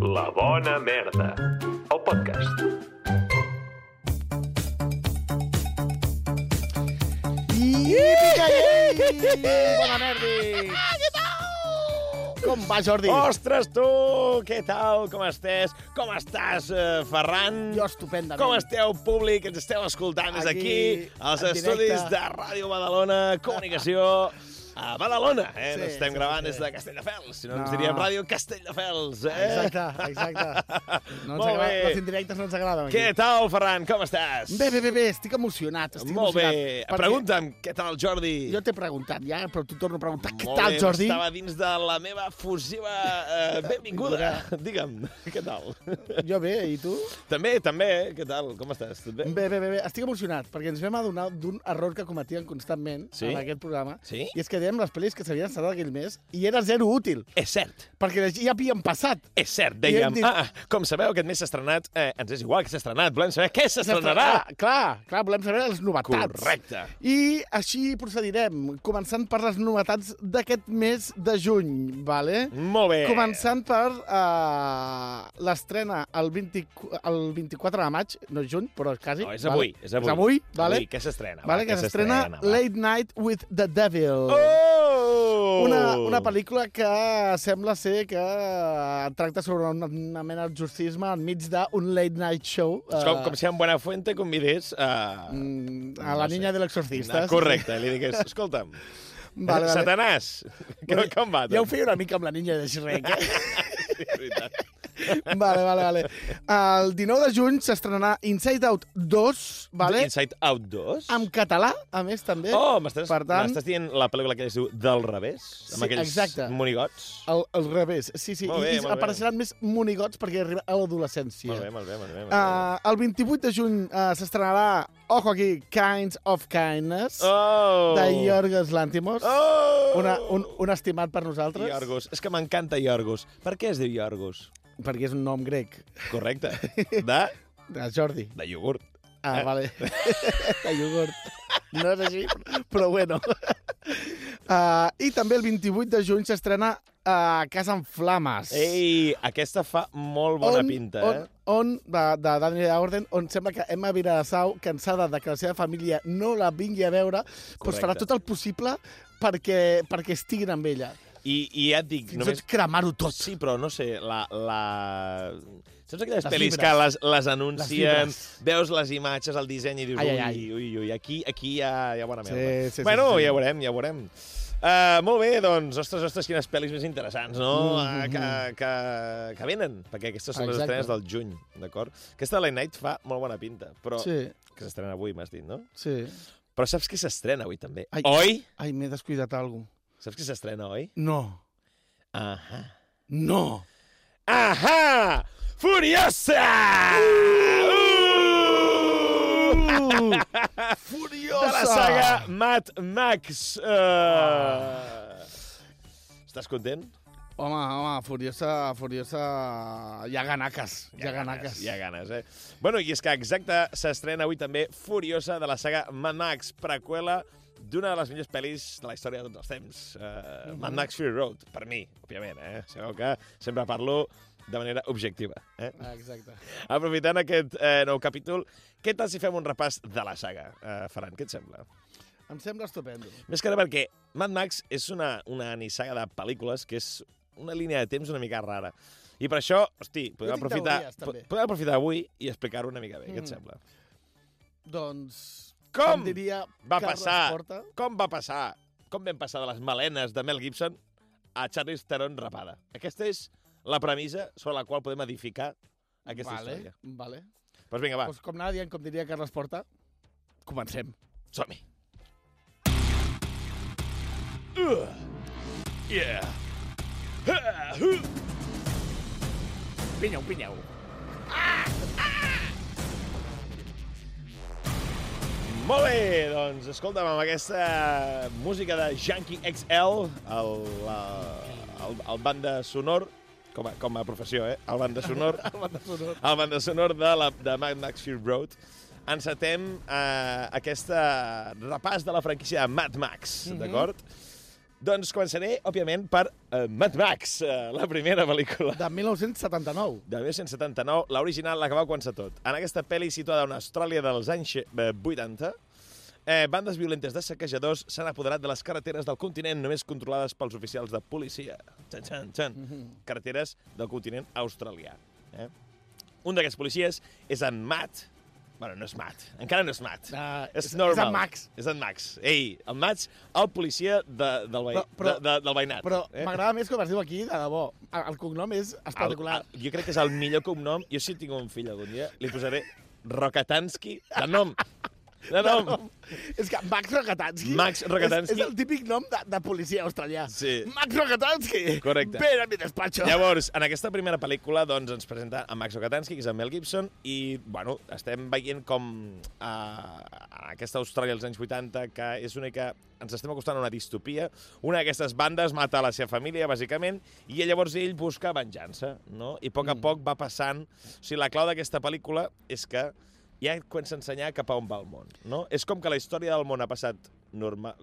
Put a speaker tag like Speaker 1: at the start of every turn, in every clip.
Speaker 1: La bona merda, el podcast.
Speaker 2: Bona merda! Què tal? Com va, Jordi?
Speaker 3: Ostres, tu! Què tal? Com estàs? Com estàs, Ferran?
Speaker 2: Jo estupendament.
Speaker 3: Com esteu, públic? Ens esteu escoltant des d'aquí, als estudis de Ràdio Badalona, Comunicació a Badalona, eh?
Speaker 2: Sí,
Speaker 3: No estem gravant des de Castelldefels, si no ens diríem Ràdio Castelldefels, eh?
Speaker 2: Exacte.
Speaker 3: Molt bé.
Speaker 2: Les indirectes no ens agraden. Aquí.
Speaker 3: Què tal, Ferran? Com estàs?
Speaker 2: Bé, estic emocionat.
Speaker 3: Molt bé. Pregunta'm, què tal, Jordi?
Speaker 2: Jo t'he preguntat ja, però tu torno a preguntar. Què
Speaker 3: Molt
Speaker 2: tal,
Speaker 3: bé,
Speaker 2: Jordi?
Speaker 3: Estava dins de la meva fusiva benvinguda. Digue'm, què tal?
Speaker 2: Jo bé, i tu?
Speaker 3: També, què tal? Com estàs? Tot bé?
Speaker 2: Bé. Estic emocionat, perquè ens vam adonar d'un error que cometien constantment en aquest programa.
Speaker 3: Sí?
Speaker 2: I és que dèiem les pel·lis que s'havien estrenat aquell mes i era zero útil.
Speaker 3: És cert.
Speaker 2: Perquè ja havien passat.
Speaker 3: És cert, dèiem. Com sabeu, aquest mes s'ha estrenat... ens és igual que s'ha estrenat, volem saber què s'estrenarà.
Speaker 2: Clar, volem saber les novetats.
Speaker 3: Correcte.
Speaker 2: I així procedirem, començant per les novetats d'aquest mes de juny, vale?
Speaker 3: Molt bé.
Speaker 2: Començant per l'estrena el 24 de maig, no és juny, però quasi.
Speaker 3: No, és avui.
Speaker 2: Vale? És avui, vale?
Speaker 3: Avui, què s'estrena?
Speaker 2: Vale, que s'estrena Late Night with the Devil.
Speaker 3: Oh!
Speaker 2: Una pel·lícula que sembla ser que tracta sobre una mena d'exorcisme enmig d'un late night show.
Speaker 3: Com si en Buenafuente convidés
Speaker 2: a la niña de l'exorcista.
Speaker 3: Correcte, li digués, escolta'm,
Speaker 2: vale.
Speaker 3: Satanàs, com va?
Speaker 2: Ja ho feia una mica amb la niña de Shrek,
Speaker 3: Sí, és veritat.
Speaker 2: Vale. El 19 de juny s'estrenarà Inside Out 2, vale?
Speaker 3: Inside Out 2?
Speaker 2: En català, a més, també.
Speaker 3: Oh, m'estàs dient la pel·lícula que es diu Del revés? Amb aquells monigots?
Speaker 2: El revés, sí.
Speaker 3: Molt bé,
Speaker 2: I apareixeran més monigots perquè arriba a l'adolescència.
Speaker 3: Molt bé.
Speaker 2: El 28 de juny s'estrenarà, ojo aquí, Kinds of Kindness, de Yorgos Lanthimos. Un estimat per nosaltres.
Speaker 3: Yorgos. És que m'encanta Yorgos. Per què es diu Yorgos?
Speaker 2: Perquè és un nom grec.
Speaker 3: Correcte.
Speaker 2: De Jordi.
Speaker 3: De iogurt.
Speaker 2: Vale. De iogurt. No és així, però bueno. I també el 28 de juny s'estrena Casa en Flames.
Speaker 3: Ei, aquesta fa molt bona pinta, eh?
Speaker 2: De Daniel Auden, on sembla que Emma Vilassau, cansada de que la seva família no la vingui a veure, doncs farà tot el possible perquè estiguin amb ella.
Speaker 3: I ja et dic...
Speaker 2: Fins i tot cremar-ho tot.
Speaker 3: Sí, però no sé, saps aquelles pel·lis que les anuncien, veus les imatges, el disseny i dius, ui, aquí hi ha bona merda.
Speaker 2: Sí,
Speaker 3: bueno, ja ho veurem. Molt bé, doncs, ostres, quines pel·lis més interessants, no? Que venen, perquè aquestes són les estrenes del juny, d'acord? Aquesta Late Night fa molt bona pinta, però que s'estrena avui, m'has dit, no?
Speaker 2: Sí.
Speaker 3: Però saps que s'estrena avui, també?
Speaker 2: Oi? Ai, m'he descuidat alguna cosa.
Speaker 3: Saps que s'estrena, oi?
Speaker 2: No.
Speaker 3: Ahà.
Speaker 2: No.
Speaker 3: Ahà! Furiosa!
Speaker 2: Furiosa!
Speaker 3: De la saga Mad Max. Estàs content?
Speaker 2: Home, Furiosa... Hi ha ganaques.
Speaker 3: Hi ha ganes, eh? Bueno, i és que exacte, s'estrena avui també Furiosa de la saga Mad Max, preqüela d'una de les millors pel·lis de la història de tots els temps. Mad Max Fury Road, per mi, òbviament, eh? Sabeu que sempre parlo de manera objectiva.
Speaker 2: Exacte.
Speaker 3: Aprofitant aquest nou capítol, què tal si fem un repàs de la saga? Ferran, què et sembla?
Speaker 2: Em sembla estupendo.
Speaker 3: Més que res perquè Mad Max és una nissaga de pel·lícules que és una línia de temps una mica rara. I per això, hosti, podem aprofitar avui i explicar-ho una mica bé. Què et sembla?
Speaker 2: Doncs...
Speaker 3: Com
Speaker 2: diria
Speaker 3: va passar? Com vam passar de les melenes de Mel Gibson a Charlize Theron rapada? Aquesta és la premissa sobre la qual podem edificar aquesta història.
Speaker 2: Vale.
Speaker 3: Doncs vinga, va.
Speaker 2: Pues com anava dient, com diria Carles Porta, comencem.
Speaker 3: Som-hi. Yeah. Pinyeu. Molt bé, doncs, escolta'm, amb aquesta música de Junkie XL, el banda sonor, com a professió, el banda sonor, el banda sonor de Mad Max Fury Road, encetem aquest repàs de la franquícia de Mad Max, d'acord? Doncs començaré, òbviament, per Mad Max, la primera pel·lícula.
Speaker 2: De 1979.
Speaker 3: De 1979, l'original, la que va començar tot. En aquesta pel·li situada en Austràlia dels anys 80, bandes violentes de saquejadors s'han apoderat de les carreteres del continent només controlades pels oficials de policia. Carreteres del continent australià. Un d'aquests policies és en Matt. Bueno, no és Matt. Encara no és Matt. És normal.
Speaker 2: És en Max.
Speaker 3: És en Max. Ei, el Max, el policia del veïnat.
Speaker 2: Però m'agrada més com es diu aquí, de debò. El cognom és espectacular.
Speaker 3: Jo crec que és el millor cognom. Jo si tinc un fill algun dia, li posaré Rokatansky, de nom. De nom.
Speaker 2: És que Max Rokatansky...
Speaker 3: Max Rokatansky.
Speaker 2: És el típic nom de policia australià.
Speaker 3: Sí.
Speaker 2: Max Rokatansky.
Speaker 3: Correcte.
Speaker 2: Ven a mi despacho.
Speaker 3: Llavors, en aquesta primera pel·lícula doncs, ens presenta a Max Rokatansky, que és en Mel Gibson, i bueno, estem veient com aquesta Austràlia dels anys 80, que és una que ens estem acostant a una distopia. Una d'aquestes bandes mata a la seva família, bàsicament, i llavors ell busca venjança, no? I a poc va passant... O sigui, la clau d'aquesta pel·lícula és que ja comença a ensenyar cap a on va el món, no? És com que la història del món ha passat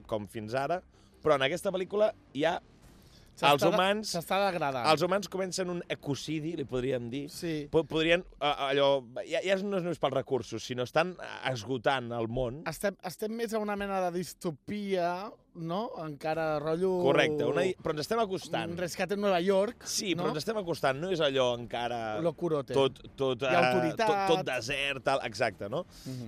Speaker 3: com fins ara, però en aquesta pel·lícula ja els humans...
Speaker 2: S'està degradant.
Speaker 3: Els humans comencen un ecocidi, li podríem dir.
Speaker 2: Sí.
Speaker 3: Podrien, allò... Ja no és només pels recursos, sinó estan esgotant el món.
Speaker 2: Estem més a una mena de distopia, no? Encara rotllo...
Speaker 3: Correcte, però ens estem acostant.
Speaker 2: Un rescat en Nova York.
Speaker 3: Sí,
Speaker 2: no?
Speaker 3: però ens estem acostant. No és allò encara...
Speaker 2: Lo curote.
Speaker 3: Tot desert, tal, exacte, no?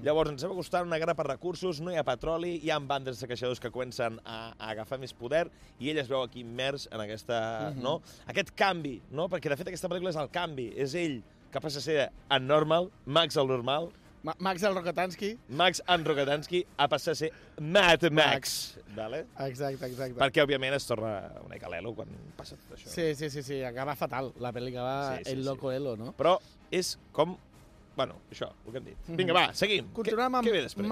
Speaker 3: Llavors ens estem acostant a una guerra per recursos, no hi ha petroli, hi ha bandes de saquejadors que comencen a agafar més poder i ell es veu aquí immers en aquesta, no? Aquest canvi, no? Perquè de fet aquesta pel·lícula és el canvi. És ell que passa a ser en normal, Max el normal.
Speaker 2: Max el Rokatansky.
Speaker 3: Max en Rokatansky a passar a ser Mad Max. Vale?
Speaker 2: Exacte.
Speaker 3: Perquè, òbviament, es torna una mica l'elo quan passa tot això.
Speaker 2: Sí. Acaba fatal. La pel·li acaba el loco elo, no?
Speaker 3: Però és com... Bueno, això, el que hem dit. Vinga, va, seguim.
Speaker 2: Continuem amb
Speaker 3: què ve després?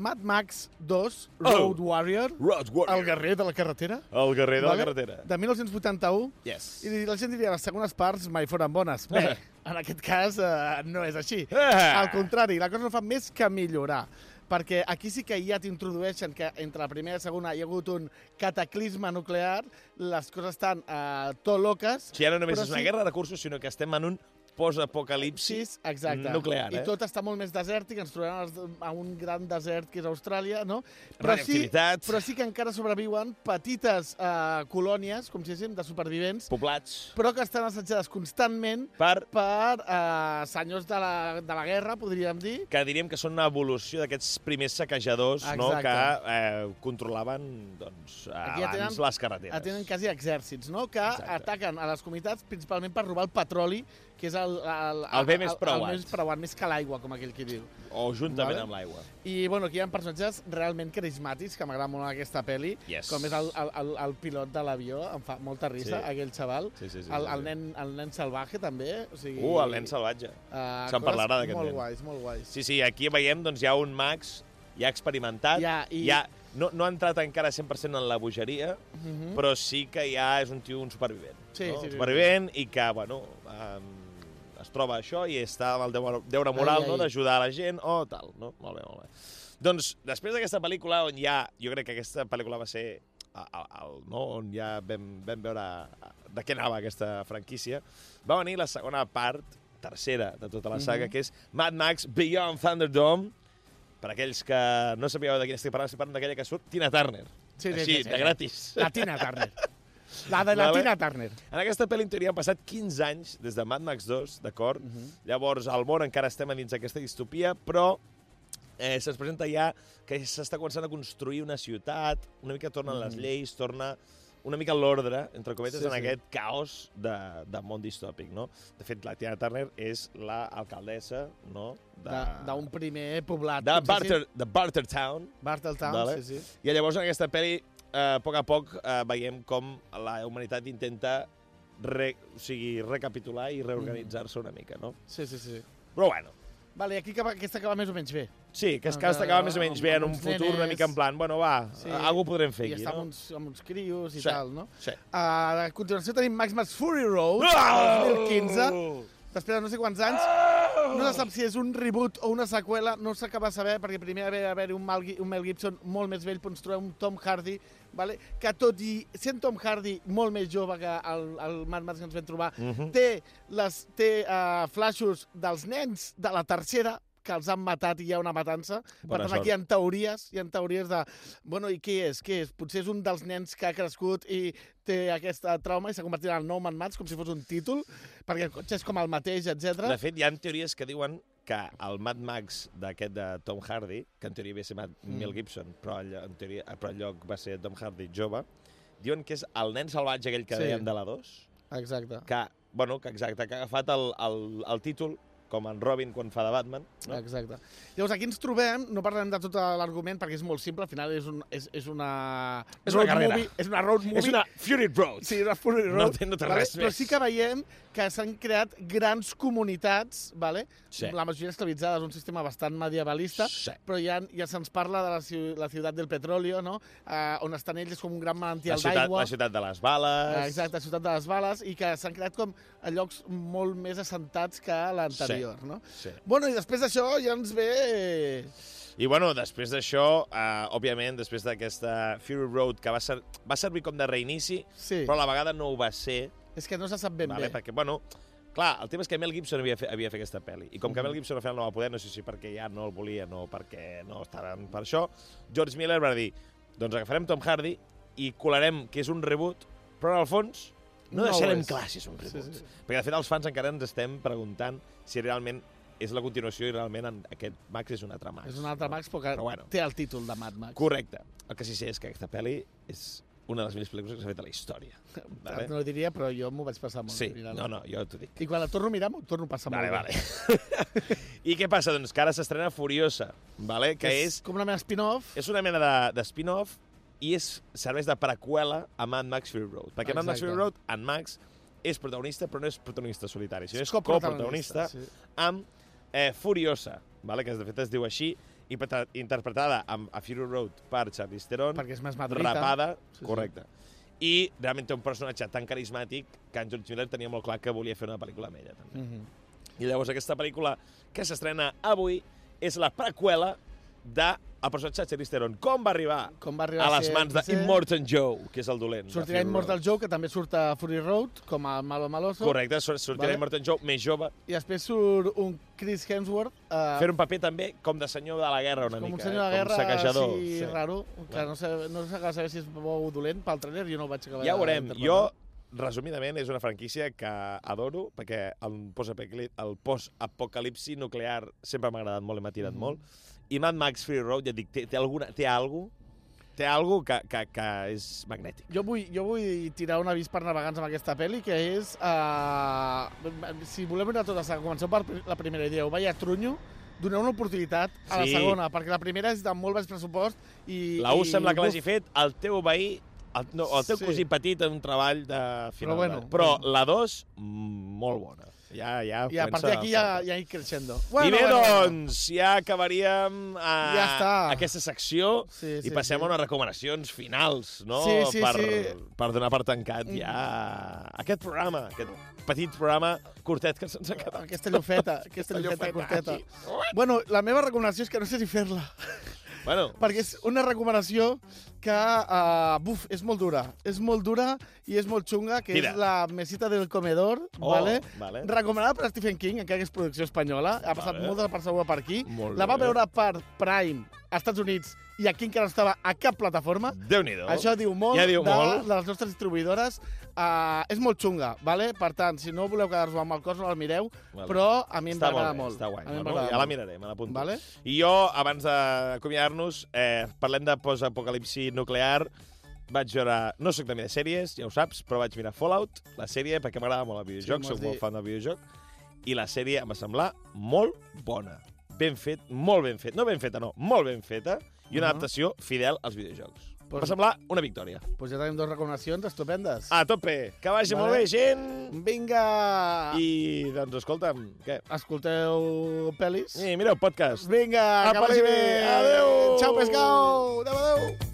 Speaker 2: Mad Max 2, Road Warrior.
Speaker 3: Road Warrior.
Speaker 2: El guerrer de la carretera.
Speaker 3: El guerrer de la carretera.
Speaker 2: De 1981.
Speaker 3: Yes.
Speaker 2: I la gent diria, les segones parts mai foren bones. Bé, en aquest cas no és així. Al contrari, la cosa no fa més que millorar. Perquè aquí sí que ja t'introdueixen que entre la primera i la segona hi ha hagut un cataclisme nuclear, les coses estan tot loques.
Speaker 3: Si ja no només és una guerra de recursos, sinó que estem en un post-apocalipsis nuclear.
Speaker 2: I tot està molt més desèrtic, ens trobem a un gran desert que és Austràlia, no?
Speaker 3: Però
Speaker 2: sí que encara sobreviuen petites colònies, com si diguéssim, de supervivents.
Speaker 3: Poblats.
Speaker 2: Però que estan assetjades constantment per senyors de la guerra, podríem dir.
Speaker 3: Que diríem que són una evolució d'aquests primers saquejadors, no? Que controlaven abans les carreteres.
Speaker 2: Tenen quasi exèrcits, no? Que ataquen a les comunitats principalment per robar el petroli, que és el
Speaker 3: bé més preuat.
Speaker 2: El més preuat, més que l'aigua, com aquell que diu.
Speaker 3: O juntament amb l'aigua.
Speaker 2: I, bueno, aquí hi ha personatges realment carismàtics, que m'agrada molt aquesta pel·li, com és el pilot de l'avió, em fa molta risa, aquell xaval. El nen salvatge, també.
Speaker 3: El nen salvatge. Se'n parlarà d'aquest nen.
Speaker 2: Molt guais.
Speaker 3: Sí, aquí veiem, doncs, hi ha un Max ja experimentat, no ha entrat encara 100% en la bogeria, però sí que ja és un tio, un supervivent. Supervivent i que, bueno... es troba això i està amb el deure moral d'ajudar a la gent o tal, no? Molt bé. Doncs, després d'aquesta pel·lícula, on ja... Jo crec que aquesta pel·lícula va ser on ja vam veure de què anava aquesta franquícia, va venir la segona part, tercera de tota la saga, que és Mad Max Beyond Thunderdome. Per aquells que no sabíeu de quina estic parlant d'aquella que surt Tina Turner. Així, de gratis.
Speaker 2: La Tina Turner. La de la Tina Turner.
Speaker 3: En aquesta pel·li, en teoria, han passat 15 anys des de Mad Max 2, d'acord? Llavors, al món encara estem dins d'aquesta distopia, però se'ns presenta ja que s'està començant a construir una ciutat, una mica tornen les lleis, torna una mica l'ordre, entre cometes, en aquest caos de món distòpic, no? De fet, la Tina Turner és l'alcaldessa, no?
Speaker 2: D'un primer poblat.
Speaker 3: De Bartertown.
Speaker 2: Bartertown, sí.
Speaker 3: I llavors, en aquesta pel·li, a poc veiem com la humanitat intenta recapitular i reorganitzar-se una mica, no?
Speaker 2: Sí.
Speaker 3: Però bueno.
Speaker 2: Vale, aquí aquesta acaba més o menys bé.
Speaker 3: Sí, que aquesta acaba més o menys bé en un futur una mica en plan, bueno, va, alguna podrem fer aquí, no?
Speaker 2: I està amb uns crios i tal, no?
Speaker 3: Sí.
Speaker 2: A continuació tenim Mad Max Fury Road, 2015. Després de no sé quants anys, No se sap si és un reboot o una seqüela, no s'acaba de saber, perquè primer va haver un Mel Gibson molt més vell, però ens trobem un Tom Hardy, vale? Que tot i sent Tom Hardy molt més jove que el Mad Max que ens vam trobar, té flaixos dels nens de la tercera, que els han matat i hi ha una matança. Per tant, aquí hi ha teories de... Bueno, i què és? Potser és un dels nens que ha crescut i té aquesta trauma i s'ha convertit en el nou Mad Max, com si fos un títol, perquè el cotxe és com el mateix, etc.
Speaker 3: De fet, hi ha teories que diuen que el Mad Max d'aquest de Tom Hardy, que en teoria havia ser Mel Gibson, però en lloc va ser Tom Hardy jove, diuen que és el nen salvatge aquell que dèiem de la 2.
Speaker 2: Exacte.
Speaker 3: Que ha agafat el títol com en Robin quan fa de Batman. No?
Speaker 2: Exacte. Llavors, aquí ens trobem, no parlem de tot l'argument perquè és molt simple, al final és una
Speaker 3: carrera.
Speaker 2: És una road movie.
Speaker 3: És una Fury Road.
Speaker 2: Sí, una Fury Road.
Speaker 3: No té res més.
Speaker 2: Però sí que veiem que s'han creat grans comunitats, vale?
Speaker 3: Sí.
Speaker 2: La majoria esclavitzades, un sistema bastant medievalista, però ja se'ns parla de la ciutat del petróleo, no? On estan ells com un gran manantial d'aigua.
Speaker 3: La ciutat de les bales.
Speaker 2: Exacte, la ciutat de les bales, i que s'han creat com a llocs molt més assentats que l'anterior, no?
Speaker 3: Sí.
Speaker 2: Bueno, i després d'això ja ens ve...
Speaker 3: I, bueno, després d'això, òbviament, després d'aquesta Fury Road, que va servir com de reinici, però a la vegada no ho va ser.
Speaker 2: És que no se sap ben bé.
Speaker 3: Perquè, bueno, clar, el tema és que Mel Gibson havia fet aquesta pel·li. I com que Mel Gibson al final no va poder, no sé si perquè ja no el volia, no perquè no estaven per això, George Miller va dir, doncs agafarem Tom Hardy i colarem que és un reboot, però en el fons no deixarem clar si és un reboot. Sí. Perquè, de fet, els fans encara ens estem preguntant si realment és la continuació i realment aquest Max és un altre Max.
Speaker 2: És un altre Max, però bueno, té el títol de Mad Max.
Speaker 3: Correcte. El que sí sé és que aquesta pel·li és una de les millors pel·lícules que s'ha fet a la història.
Speaker 2: Vale? No ho diria, però jo m'ho vaig passar molt bé.
Speaker 3: Sí, no, jo t'ho dic.
Speaker 2: I quan la torno a mirar, m'ho torno a passar molt bé.
Speaker 3: Vale. I què passa? Doncs que ara s'estrena Furiosa, vale? Que és
Speaker 2: com una mena d'spin-off.
Speaker 3: És una mena de spin-off i serveix de preqüela a Mad Max Fury Road. Perquè Mad Max Fury Road, en Max és protagonista, però no és protagonista solitari, sinó és coprotagonista amb Furiosa, vale? Que de fet es diu així, interpretada a Fury Road per Charlize Theron,
Speaker 2: perquè és més madrita,
Speaker 3: rapada, correcte. I realment té un personatge tan carismàtic que en George Miller tenia molt clar que volia fer una pel·lícula amb ella, també. I llavors aquesta pel·lícula que s'estrena avui és la preqüela del personatge de Charlize Theron. Com va arribar a les mans d'Immortan Joe, que és el dolent.
Speaker 2: Sortirà Immortan Joe, que també surt a Fury Road, com a Malo Maloso.
Speaker 3: Correcte, sortirà Immortan Joe més jove.
Speaker 2: I després surt un Chris Hemsworth.
Speaker 3: Fer un paper també com de senyor de la guerra una mica.
Speaker 2: Com un senyor de la guerra,
Speaker 3: saquejador.
Speaker 2: sí, raro. Que no s'acaba de saber si és bo o dolent. Pel trailer jo no ho vaig acabar
Speaker 3: ja ho veurem. Jo, resumidament, és una franquícia que adoro, perquè el post-apocalipsi nuclear sempre m'ha agradat molt i m'ha tirat molt. I Mad Max Fury Road, ja et dic, té algo que és magnètic.
Speaker 2: Jo vull tirar un avís per navegants amb aquesta pel·li, que és... si volem mirar tota la saga, comenceu per la primera idea, ho veia trunyo, doneu una oportunitat a la segona, perquè la primera és de molt baix pressupost i...
Speaker 3: La U sembla que l'hagi fet el teu veí, el teu cosí petit en un treball de final. Però la 2, molt bona. I a
Speaker 2: partir d'aquí ja hi creixendo.
Speaker 3: I bé, doncs, ja acabaríem aquesta secció i passem a unes recomanacions finals, no? Per donar per tancat ja aquest programa, aquest petit programa curtet que se'ns ha quedat.
Speaker 2: Aquesta llofeta curteta. Bueno, la meva recomanació és que no sé si fer-la. Perquè és una recomanació que és molt dura. És molt dura i és molt xunga, que és la Mesita del Comedor, recomanada per Stephen King, encara que és producció espanyola. Ha passat molta persona per aquí. La va veure per Prime als Estats Units i aquí encara no estava a cap plataforma.
Speaker 3: Déu-n'hi-do.
Speaker 2: Això diu molt de les nostres distribuïdores. És molt xunga, per tant, si no voleu quedar-vos amb el cos, no la mireu, però a mi em va agradar molt.
Speaker 3: Està guai, ja la miraré, me l'apunto.
Speaker 2: Vale?
Speaker 3: I jo, abans d'acomiadar-nos, parlem de post-apocalipsi nuclear. Vaig veure... No soc de mirar sèries, ja ho saps, però vaig mirar Fallout, la sèrie, perquè m'agrada molt el videojoc, soc molt fan del videojoc, i la sèrie em va semblar molt bona. Ben fet, molt ben fet. No ben feta, no, molt ben feta, i una adaptació fidel als videojocs. Va semblar una victòria.
Speaker 2: Doncs ja tenim 2 recomanacions estupendes.
Speaker 3: A tope! Que vagi molt bé, gent!
Speaker 2: Vinga!
Speaker 3: I, doncs, escolta'm, què?
Speaker 2: Escolteu pel·lis?
Speaker 3: I mireu podcast.
Speaker 2: Vinga, que vagi bé!
Speaker 3: Adéu!
Speaker 2: Ciao, pescau! Adéu, adéu!